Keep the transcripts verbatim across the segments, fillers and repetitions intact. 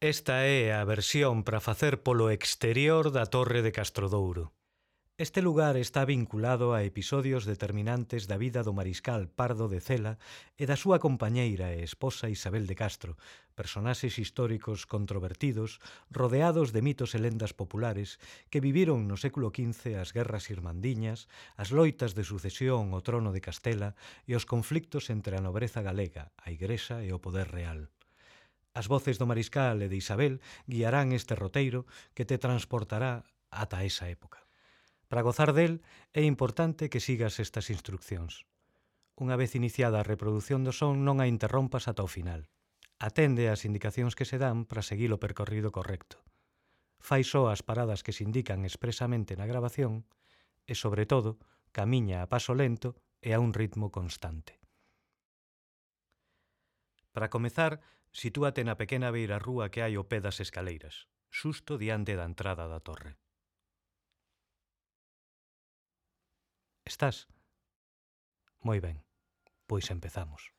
Esta é a versión para facer polo exterior da Torre de Castrodouro. Este lugar está vinculado a episodios determinantes da vida do mariscal Pardo de Cela e da súa compañeira e esposa Isabel de Castro, personaxes históricos controvertidos rodeados de mitos e lendas populares que viviron no século quince as guerras irmandiñas, as loitas de sucesión ao trono de Castela e os conflictos entre a nobreza galega, a Igrexa e o poder real. As voces do mariscal e de Isabel guiarán este roteiro que te transportará ata esa época. Para gozar del, é importante que sigas estas instruccións. Unha vez iniciada a reproducción do son, non a interrompas ata o final. Atende ás indicacións que se dan para seguir o percorrido correcto. Fai só as paradas que se indican expresamente na grabación e, sobre todo, camiña a paso lento e a un ritmo constante. Para comezar, sitúate na pequena beirarrúa que hai ao pé das escaleiras, xusto diante da entrada da torre. Estás? Moi ben, pois empezamos.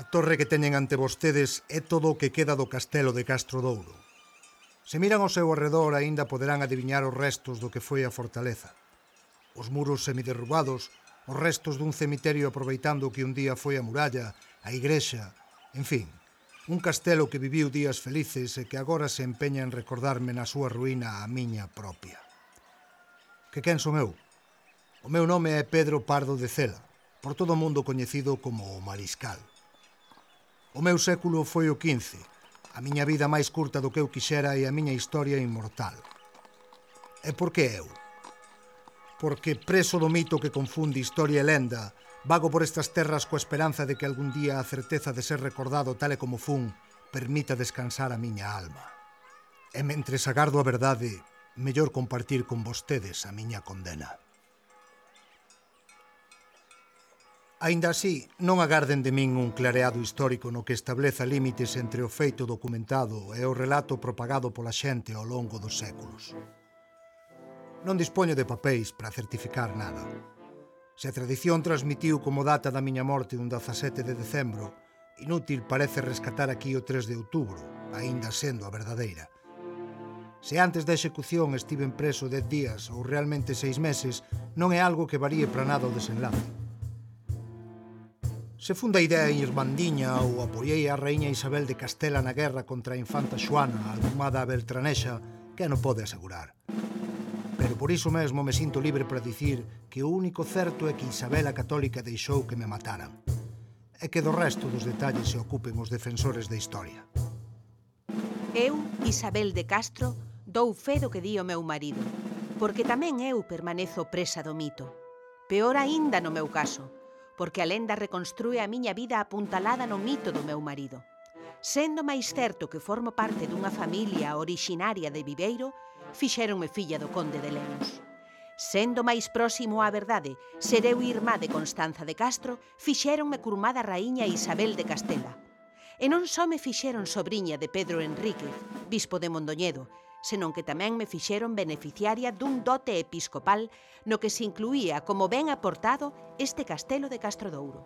A torre que teñen ante vostedes é todo o que queda do castelo de Castrodouro. Se miran ao seu arredor, aínda poderán adiviñar os restos do que foi a fortaleza. Os muros semiderrubados, os restos dun cemiterio aproveitando que un día foi a muralla, a igrexa, en fin, un castelo que viviu días felices e que agora se empeña en recordarme na súa ruína a miña propia. Que quen son eu? O meu nome é Pedro Pardo de Cela, por todo o mundo coñecido como o Mariscal. O meu século foi o quince, a miña vida máis curta do que eu quixera e a miña historia inmortal. E por que eu? Porque preso do mito que confunde historia e lenda, vago por estas terras coa esperanza de que algún día a certeza de ser recordado tal e como fun permita descansar a miña alma. E mentres agardo a verdade, mellor compartir con vostedes a miña condena. Aínda así, non agarden de min un clareado histórico no que estableza límites entre o feito documentado e o relato propagado pola xente ao longo dos séculos. Non dispoño de papéis para certificar nada. Se a tradición transmitiu como data da miña morte un dezasete de decembro, inútil parece rescatar aquí o tres de outubro, aínda sendo a verdadeira. Se antes da execución estiven preso dez días ou realmente seis meses, non é algo que varíe para nada o desenlace. Se funda a idea irmandiña ou apoiei a raíña Isabel de Castela na guerra contra a infanta Xoana, alcumada a Beltranexa, que non pode asegurar. Pero por iso mesmo me sinto libre para dicir que o único certo é que Isabel a Católica deixou que me mataran, e que do resto dos detalles se ocupen os defensores da historia. Eu, Isabel de Castro, dou fe do que di o meu marido, porque tamén eu permanezo presa do mito. Peor aínda no meu caso, porque a lenda reconstrúe a miña vida apuntalada no mito do meu marido. Sendo máis certo que formo parte dunha familia orixinaria de Viveiro, fixéronme filla do conde de Lemos. Sendo máis próximo á verdade, ser eu irmá de Constanza de Castro, fixéronme curmada raíña Isabel de Castela. E non só me fixeron sobriña de Pedro Enríquez, bispo de Mondoñedo, senón que tamén me fixeron beneficiaria dun dote episcopal no que se incluía como ben aportado este castelo de Castrodouro.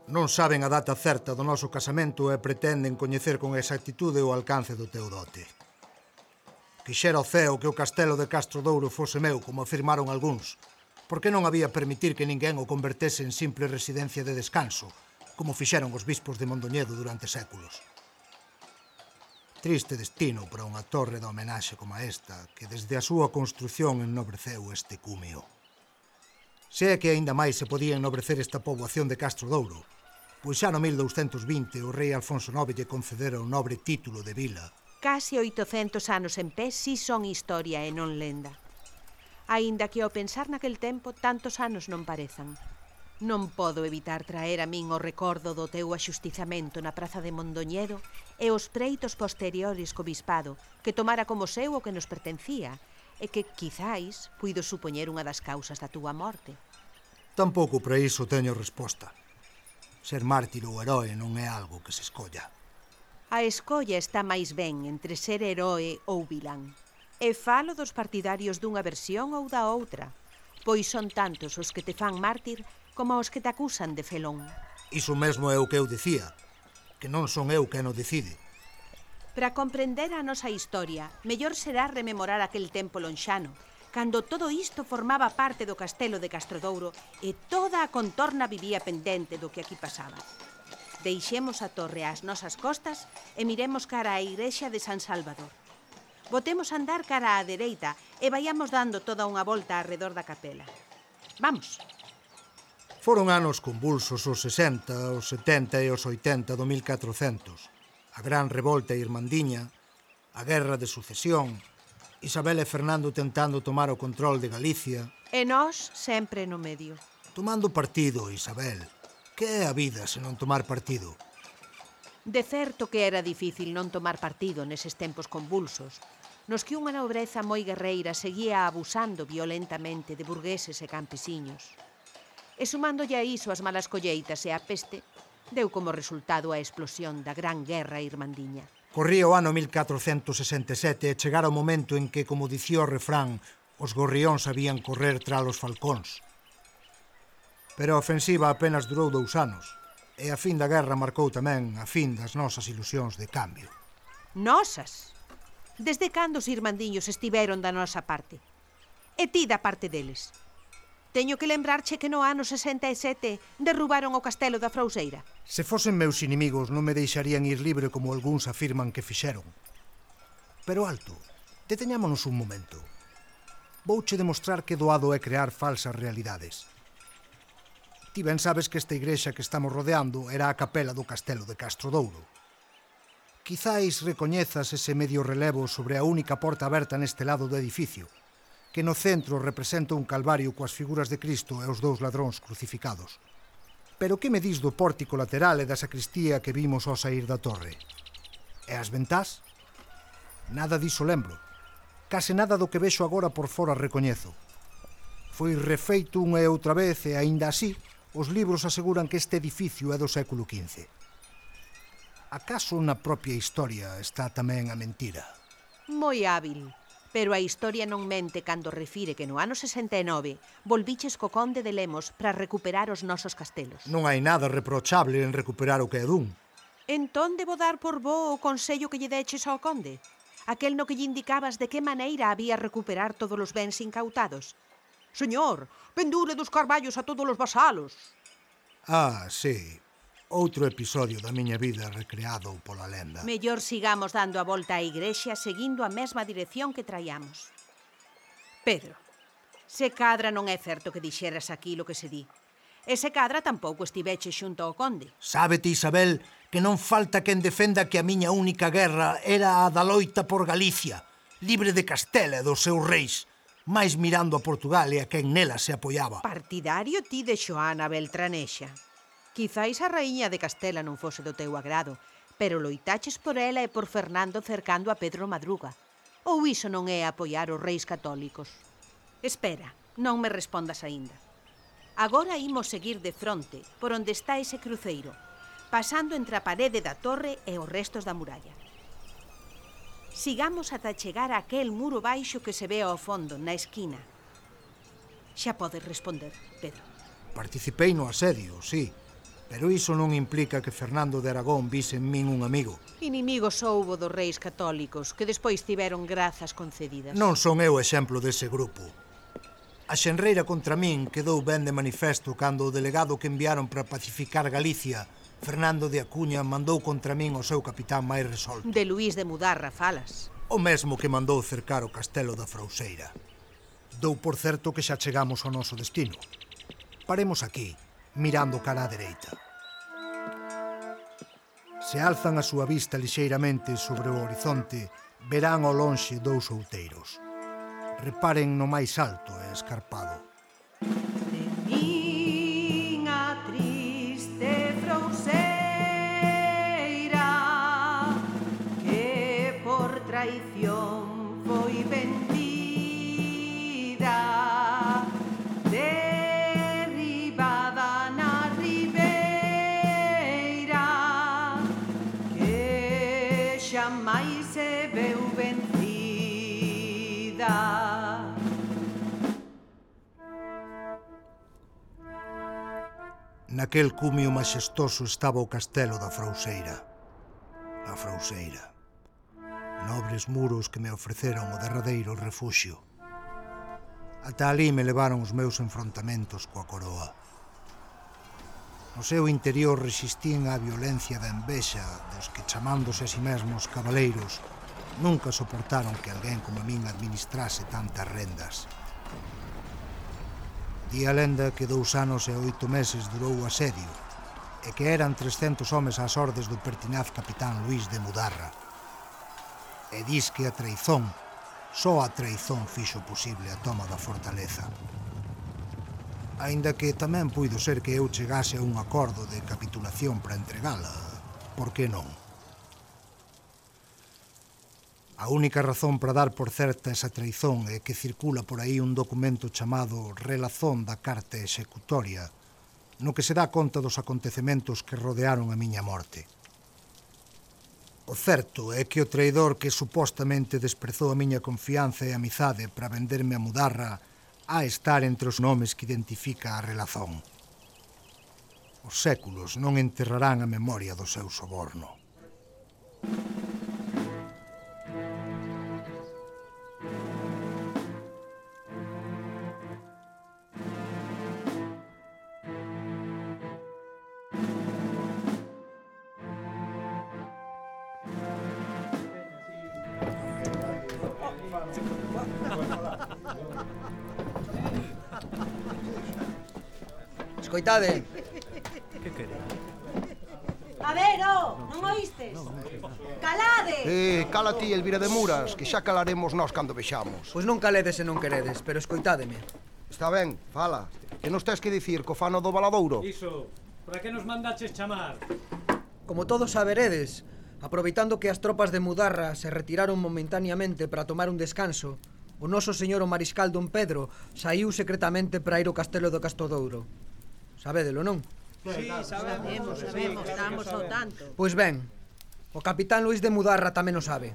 Non saben a data certa do noso casamento e pretenden coñecer con exactitude o alcance do teu dote. Quixera o ceo que o castelo de Castrodouro fose meu, como afirmaron algúns, porque non había permitir que ninguén o convertese en simple residencia de descanso, como fixeron os bispos de Mondoñedo durante séculos. Triste destino para unha torre de homenaxe como esta, que desde a súa construción ennobreceu este cúmeo. Se é que aínda máis se podía ennobrecer esta poboación de Castrodouro, pois xa no mil douscentos vinte o rei Alfonso nove lle concedera o nobre título de vila. Case oitocentos anos en pé si son historia e non lenda. Aínda que ao pensar naquel tempo tantos anos non parezan. Non podo evitar traer a min o recordo do teu axustizamento na praza de Mondoñedo e os preitos posteriores co bispado, que tomara como seu o que nos pertencía, e que, quizáis, puido supoñer unha das causas da túa morte. Tampouco para iso teño resposta. Ser mártir ou heroe non é algo que se escolla. A escolla está máis ben entre ser heroe ou vilán. E falo dos partidarios dunha versión ou da outra, pois son tantos os que te fan mártir como os que te acusan de felón. Iso mesmo é o que eu dicía, que non son eu quen o decide. Para comprender a nosa historia, mellor será rememorar aquel tempo lonxano, cando todo isto formaba parte do castelo de Castrodouro e toda a contorna vivía pendente do que aquí pasaba. Deixemos a torre ás nosas costas e miremos cara á igrexa de San Salvador. Botemos a andar cara á dereita e vayamos dando toda unha volta arredor da capela. Vamos. Foron anos convulsos os sesenta, os setenta e os oitenta do mil catrocentos. A gran revolta irmandiña, a guerra de sucesión, Isabel e Fernando tentando tomar o control de Galicia. E nós sempre no medio. Tomando partido, Isabel. Que é a vida se non tomar partido? De certo que era difícil non tomar partido neses tempos convulsos, nos que unha nobreza moi guerreira seguía abusando violentamente de burgueses e campesiños. E sumándolle a iso as malas colleitas e a peste, deu como resultado a explosión da Gran Guerra Irmandiña. Corría o ano mil catrocentos sesenta e sete e chegara o momento en que, como dicía o refrán, os gorrións sabían correr tras os falcóns. Pero a ofensiva apenas durou dous anos, e a fin da guerra marcou tamén a fin das nosas ilusións de cambio. Nosas? Desde cando os irmandiños estiveron da nosa parte? E ti da parte deles? Teño que lembrarche que no ano sesenta e sete derrubaron o castelo da Frouseira. Se fosen meus inimigos non me deixarían ir libre como algúns afirman que fixeron. Pero alto, deteñámonos un momento. Vouche demostrar que doado é crear falsas realidades. Ti ben sabes que esta igrexa que estamos rodeando era a capela do castelo de Castrodouro. Quizáis recoñezas ese medio relevo sobre a única porta aberta neste lado do edificio, que no centro representa un calvario coas figuras de Cristo e os dous ladróns crucificados. Pero que me dis do pórtico lateral e da sacristía que vimos ao saír da torre? E as ventás? Nada diso lembro. Case nada do que vexo agora por fora recoñezo. Foi refeito unha e outra vez e, aínda así, os libros aseguran que este edificio é do século quince. Acaso na propia historia está tamén a mentira? Moi hábil. Pero a historia non mente cando refire que no ano sesenta e nove volviches co conde de Lemos para recuperar os nosos castelos. Non hai nada reprochable en recuperar o que é dun. Entón debo dar por bo o consello que lle deches ao conde? Aquel no que lle indicabas de que maneira había recuperar todos os bens incautados. Señor, pendure dos carballos a todos os vasalos. Ah, sí. Outro episodio da miña vida recreado pola lenda. Mellor sigamos dando a volta á igrexa seguindo a mesma dirección que traíamos. Pedro, se cadra non é certo que dixeras aquilo que se di. E se cadra tampouco estiveche xunto ao conde. Sábete, Isabel, que non falta quen defenda que a miña única guerra era a da loita por Galicia, libre de Castela e dos seus reis, máis mirando a Portugal e a quen nela se apoiaba. Partidario ti de Xoana Beltranexa. Quizáis a raíña de Castela non fose do teu agrado, pero loitaches por ela e por Fernando cercando a Pedro Madruga. Ou iso non é apoiar os reis católicos? Espera, non me respondas aínda. Agora imos seguir de fronte por onde está ese cruceiro, pasando entre a parede da torre e os restos da muralla. Sigamos ata chegar a aquel muro baixo que se ve ao fondo, na esquina. Xa podes responder, Pedro. Participei no asedio, sí. Pero iso non implica que Fernando de Aragón vise en min un amigo. Inimigos houbo dos reis católicos, que despois tiveron grazas concedidas. Non son eu exemplo dese grupo. A xenreira contra min quedou ben de manifesto cando o delegado que enviaron para pacificar Galicia, Fernando de Acuña, mandou contra min o seu capitán máis resolto. De Luís de Mudarra falas. O mesmo que mandou cercar o castelo da Frouseira. Dou por certo que xa chegamos ao noso destino. Paremos aquí, mirando cara á dereita. Se alzan a súa vista lixeiramente sobre o horizonte, verán ao lonxe dous outeiros. Reparen no máis alto e escarpado. De miña triste Frouseira, que por traición foi vendida, derribada na ribeira, que xamais se veu vencida. Naquel cumio maxestoso estaba o castelo da Frouseira. A Frouseira. Nobres muros que me ofreceron o derradeiro refuxio. Ata ali me levaron os meus enfrontamentos coa coroa. No seu interior resistían á violencia da envexa dos que, chamándose a si mesmos cabaleiros, nunca soportaron que alguén como a min administrase tantas rendas. Di a lenda que dous anos e oito meses durou o asedio e que eran trescentos homes ás ordes do pertinaz capitán Luís de Mudarra. E dis que a traizón, só a traizón fixo posible a toma da fortaleza. Aínda que tamén puido ser que eu chegase a un acordo de capitulación para entregala, por que non? A única razón para dar por certa esa traizón é que circula por aí un documento chamado Relazón da Carta Executoria, no que se dá conta dos acontecementos que rodearon a miña morte. O certo é que o traidor que supostamente desprezou a miña confianza e amizade para venderme a Mudarra a estar entre os nomes que identifica a Relazón. Os séculos non enterrarán a memoria do seu soborno. Escoitade. Que queredes? A ver, oh, non oístes? Calade! Eh, cala ti, Elvira de Muras, que xa calaremos nós cando vexamos. Pois non caledes se non queredes, pero escoitádeme. Está ben, fala. Que nos tes que dicir co fano do Valadouro? Iso, para que nos mandaches chamar? Como todos saberedes, aproveitando que as tropas de Mudarra se retiraron momentáneamente para tomar un descanso, o noso señor o mariscal don Pedro saiu secretamente para ir ao castelo do Castrodouro. Sabédelo, non? Sí, sabemos, sabemos, estamos ao tanto. Pois ben, o capitán Luís de Mudarra tamén o sabe.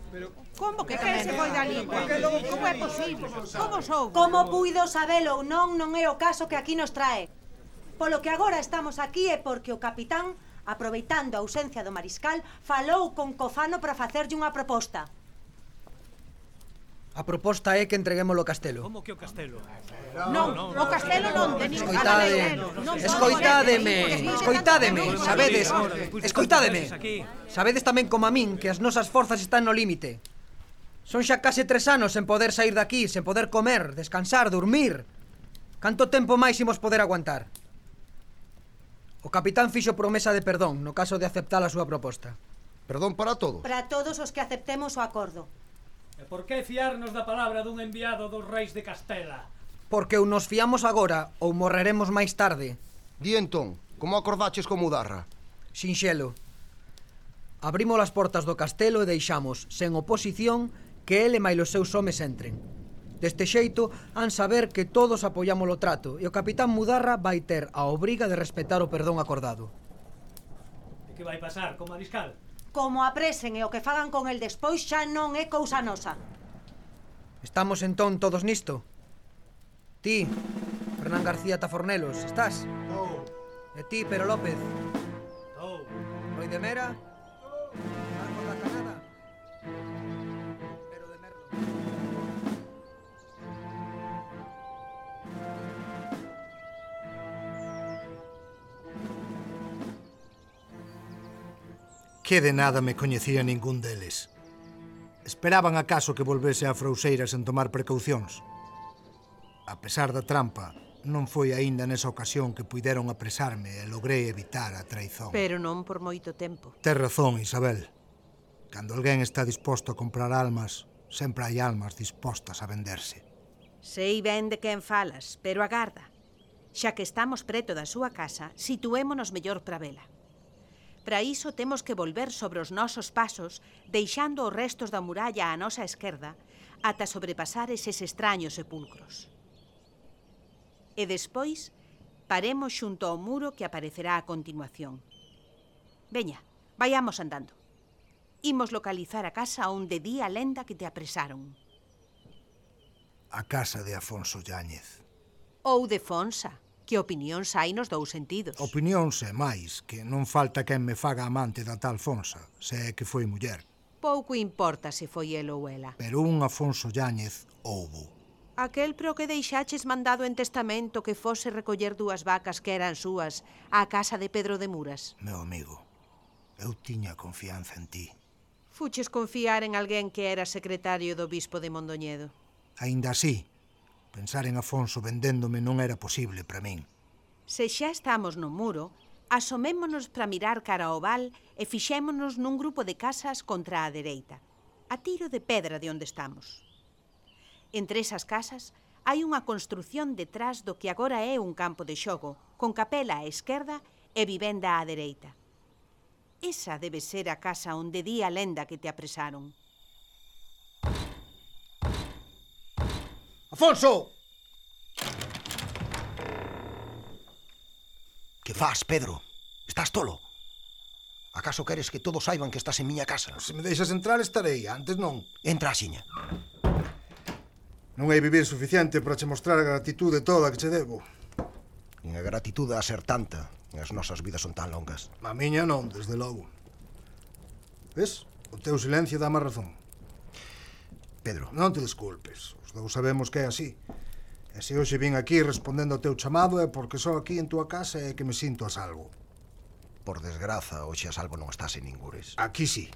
Como que quen se foi da lingua? Como é posible? Como sou? Como puido sabelo ou non, non é o caso que aquí nos trae. Polo que agora estamos aquí é porque o capitán, aproveitando a ausencia do mariscal, falou con Cofano para facerlle unha proposta. A proposta é que entreguemos o castelo. Como que o castelo? Non, o castelo non tenis. Escoitade, escoitádeme, escoitádeme, sabedes, escoitádeme. Sabedes tamén como a min que as nosas forzas están no límite. Son xa case tres anos sen poder sair daqui, sen poder comer, descansar, dormir. Canto tempo máis imos poder aguantar? O capitán fixo promesa de perdón no caso de aceptar a súa proposta. Perdón para todos. Para todos os que aceptemos o acordo. E por que fiarnos da palabra dun enviado dos reis de Castela? Porque ou nos fiamos agora ou morreremos máis tarde. Di entón, como acordaches con Mudarra? Sinxelo. Abrimos as portas do castelo e deixamos, sen oposición, que ele máis os seus homes entren. Deste xeito, han saber que todos apoiamos o trato e o capitán Mudarra vai ter a obriga de respetar o perdón acordado. E que vai pasar co mariscal? Como apresen e o que fagan con el despois xa non é cousa nosa. Estamos entón todos nisto? Ti, Fernán García Tafornelos, estás? Oh. E ti, Pero López? Oh. Roi de Mera? Marco da Canada? Pero de Merlo. Que de nada me coñecía ningún deles. Esperaban acaso que volvese a Frouseira sen tomar precaucións. A pesar da trampa, non foi aínda nesa ocasión que puideron apresarme e logrei evitar a traizón. Pero non por moito tempo. Tes razón, Isabel. Cando alguén está disposto a comprar almas, sempre hai almas dispostas a venderse. Sei ben de quen falas, pero agarda. Xa que estamos preto da súa casa, situémonos mellor para vela. Para iso temos que volver sobre os nosos pasos, deixando os restos da muralla á nosa esquerda, ata sobrepasar eses extraños sepulcros. E despois, paremos xunto ao muro que aparecerá a continuación. Veña, vayamos andando. Imos localizar a casa onde di a lenda que te apresaron. A casa de Afonso Yáñez. Ou de Fonsa. Que opinións hai nos dous sentidos. Opinións e máis, que non falta quen me faga amante da tal Fonsa, se é que foi muller. Pouco importa se foi el ou ela. Pero un Afonso Yáñez houbo. Aquel pro que deixaches mandado en testamento que fose recoller dúas vacas que eran súas á casa de Pedro de Muras. Meu amigo, eu tiña confianza en ti. Fuches confiar en alguén que era secretario do bispo de Mondoñedo. Aínda así, pensar en Afonso vendéndome non era posible para min. Se xa estamos no muro, asomémonos para mirar cara ao val e fixémonos nun grupo de casas contra a dereita, a tiro de pedra de onde estamos. Entre esas casas hai unha construción detrás do que agora é un campo de xogo, con capela á esquerda e vivenda á dereita. Esa debe ser a casa onde di a lenda que te apresaron. Afonso! Que faz, Pedro? Estás tolo? Acaso queres que todos saiban que estás en miña casa? Se me deixas entrar estarei, antes non. Entra, axiña. Non hai vivir suficiente para che mostrar a gratitude toda que che debo. Nin a gratitude a ser tanta, as nosas vidas son tan longas. A miña non, desde logo. Ves? O teu silencio dá má razón. Pedro. Non te desculpes, os dous sabemos que é así. E se hoxe vin aquí respondendo ao teu chamado é porque só aquí en túa casa é que me sinto a salvo. Por desgraza, hoxe a salvo non estás en ningures. Aquí sí.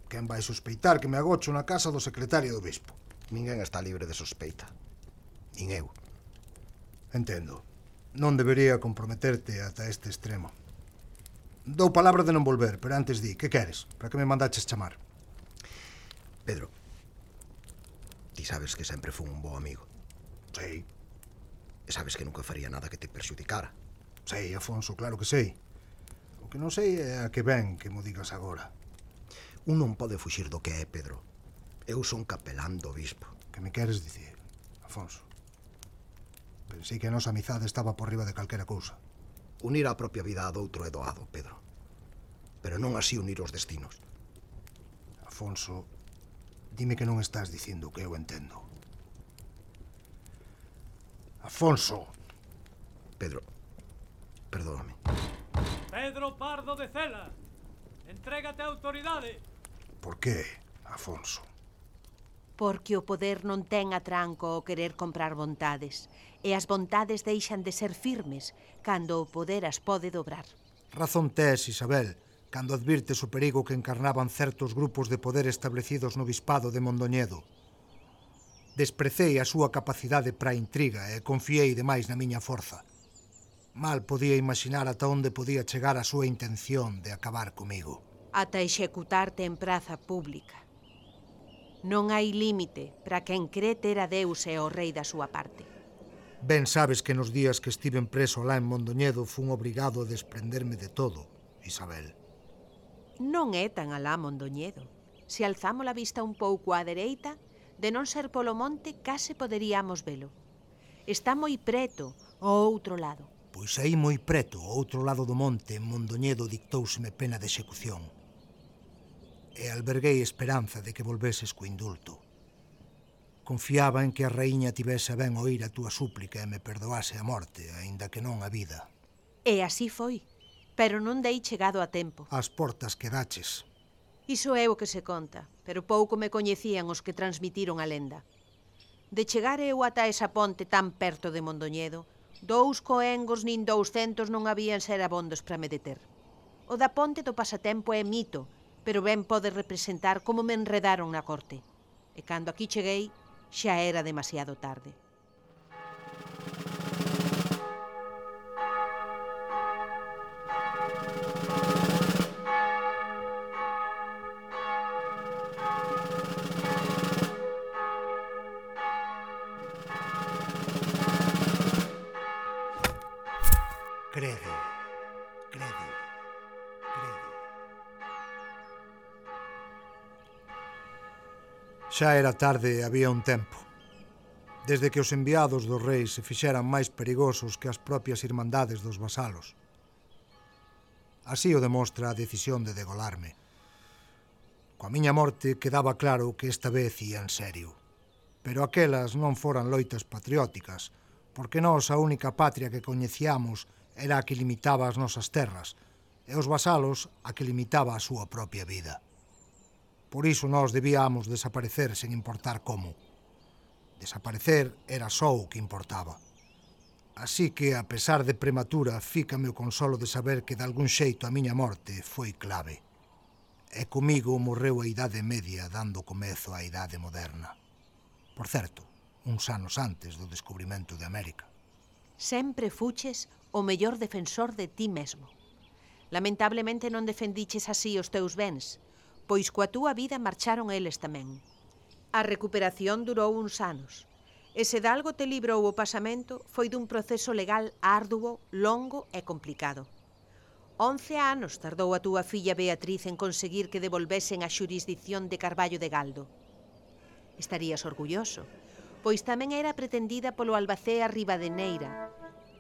Quen vai sospeitar que me agocho na casa do secretario do bispo? Ninguén está libre de sospeita. Nin eu. Entendo. Non debería comprometerte ata este extremo. Dou palabra de non volver, pero antes di, que queres? Para que me mandaches chamar? Pedro, ti sabes que sempre fui un bo amigo. Sei. E sabes que nunca faría nada que te perxudicara. Sei, Afonso, claro que sei. O que non sei é a que ben que mo digas agora. Un non pode fuxir do que é, Pedro. Eu son capelán do bispo. Que me queres dicir, Afonso? Pensei que a nosa amizade estaba por riba de calquera cousa. Unir a propia vida a doutro é doado, Pedro. Pero non así unir os destinos. Afonso, dime que non estás dicindo o que eu entendo. Afonso! Pedro, perdóname. Pedro Pardo de Cela, entrégate á autoridade. Por que, Afonso? Porque o poder non ten atranco ao querer comprar vontades, e as vontades deixan de ser firmes cando o poder as pode dobrar. Razón tes, Isabel, cando advirtes o perigo que encarnaban certos grupos de poder establecidos no bispado de Mondoñedo. Desprecei a súa capacidade para a intriga e confiei demais na miña forza. Mal podía imaginar ata onde podía chegar a súa intención de acabar comigo. Ata executarte en praza pública. Non hai límite para quen cree ter a Deus e o rei da súa parte. Ben sabes que nos días que estiven preso lá en Mondoñedo fun obrigado a desprenderme de todo, Isabel. Non é tan alá Mondoñedo. Se alzamos a vista un pouco á dereita, de non ser polo monte, case poderíamos velo. Está moi preto, ao outro lado. Pois aí moi preto, ao outro lado do monte, en Mondoñedo dictouseme pena de execución. E alberguei esperanza de que volveses co indulto. Confiaba en que a raíña tivese ben oír a túa súplica e me perdoase a morte, aínda que non a vida. E así foi, pero non dei chegado a tempo. As portas quedaches. Iso é o que se conta, pero pouco me coñecían os que transmitiron a lenda. De chegar eu ata esa ponte tan perto de Mondoñedo, dous coengos nin douscentos non habían ser abondos para me deter. O da ponte do pasatempo é mito, pero ben pode representar como me enredaron na corte. E cando aquí cheguei, xa era demasiado tarde. Crede, crede, crede. Xa era tarde e había un tempo. Desde que os enviados dos reis se fixeran máis perigosos que as propias irmandades dos vasalos. Así o demostra a decisión de degolarme. Coa miña morte quedaba claro que esta vez ia en serio. Pero aquelas non foran loitas patrióticas, porque nós a única patria que coñecíamos era a que limitaba as nosas terras, e os vasalos a que limitaba a súa propia vida. Por iso nós debíamos desaparecer sen importar como. Desaparecer era só o que importaba. Así que, a pesar de prematura, fícame o consolo de saber que de algún xeito a miña morte foi clave. E comigo morreu a Idade Media dando comezo á Idade Moderna. Por certo, uns anos antes do descubrimento de América. Sempre fuches o mellor defensor de ti mesmo. Lamentablemente non defendiches así os teus bens, pois coa túa vida marcharon eles tamén. A recuperación durou uns anos, e se de algo te librou o pasamento foi dun proceso legal arduo, longo e complicado. Once anos tardou a túa filla Beatriz en conseguir que devolvesen a xurisdicción de Carballo de Galdo. Estarías orgulloso, pois tamén era pretendida polo albacea Ribadeneira,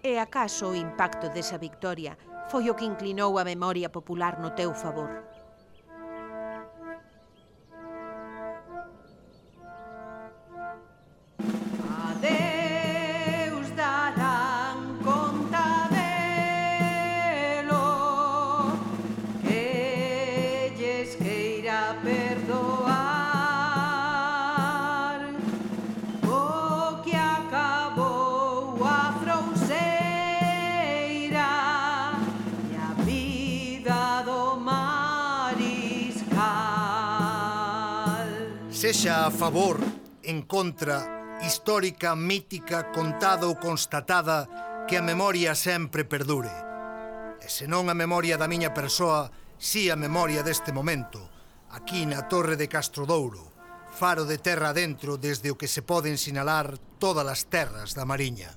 e acaso o impacto desa victoria foi o que inclinou a memoria popular no teu favor. Sexa a favor, en contra, histórica, mítica, contada ou constatada, que a memoria sempre perdure. E se non a memoria da miña persoa, si a memoria deste momento, aquí na Torre de Castrodouro, faro de terra adentro desde o que se poden sinalar todas as terras da Mariña.